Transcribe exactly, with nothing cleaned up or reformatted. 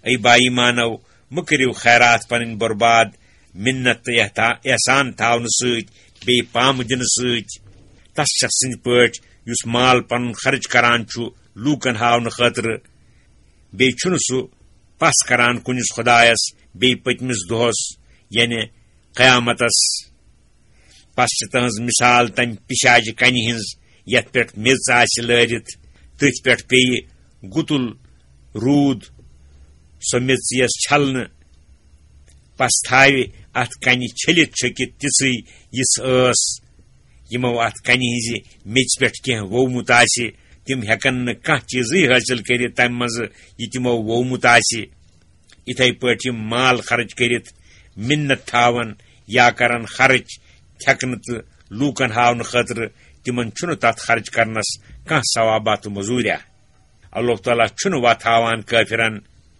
A با ایمانو، مہٕ کٔرِو خیرات پنٕنۍ برباد منت تہٕ احتا-، احسان تھاونہٕ سۭتۍ، بیٚیہِ پامہٕ دِنہٕ سۭتۍ۔ تس شخص سٕنٛدۍ پٲٹھۍ یُس مال پنُن خرٕچ کران چھُ لوٗکن ہاونہٕ خٲطرٕ، بیٚیہِ چھُنہٕ سُہ پس کران کُنِس خۄدایس بیٚیہِ پٔتمِس دۄہس، یعنی قیامتس۔ پس چھِ تہنٛز مثال تمہِ پِشاجہِ کنہِ ہٕنٛز، یتھ پٮ۪ٹھ میٚژ آسہِ لٲرِتھ، تٔتھۍ پٮ۪ٹھ پیٚیہِ گُتُل روٗد، سۄ میٚژ یِیَس چھلنہٕ، پس تھاوِ اتھ کنہِ چھٔلِتھ چھٔکِتھ تِژھٕے، یِژھ ٲس۔ یِمو اتھ کنہِ ہٕنٛزِ میٚژِ پٮ۪ٹھ کینٛہہ وومُت آسہِ، تِم ہٮ۪کن نہٕ کانٛہہ چیٖزٕے حٲصِل کٔرِتھ تمہِ منٛزٕ، یہِ تِمو وومُت آسہِ۔ یِتھے پٲٹھۍ یِم مال خرٕچ کٔرِتھ منت تھاوان یا کران خرٕچ تھٮ۪کنہٕ تہٕ لوٗکن ہاونہٕ خٲطرٕ، تِمن چھُنہٕ تتھ خرٕچ کرنس کانٛہہ ثوابا تہٕ مٔزوٗریا۔ اللہ تعالیٰ چھُنہٕ وتھ ہاوان کٲفرن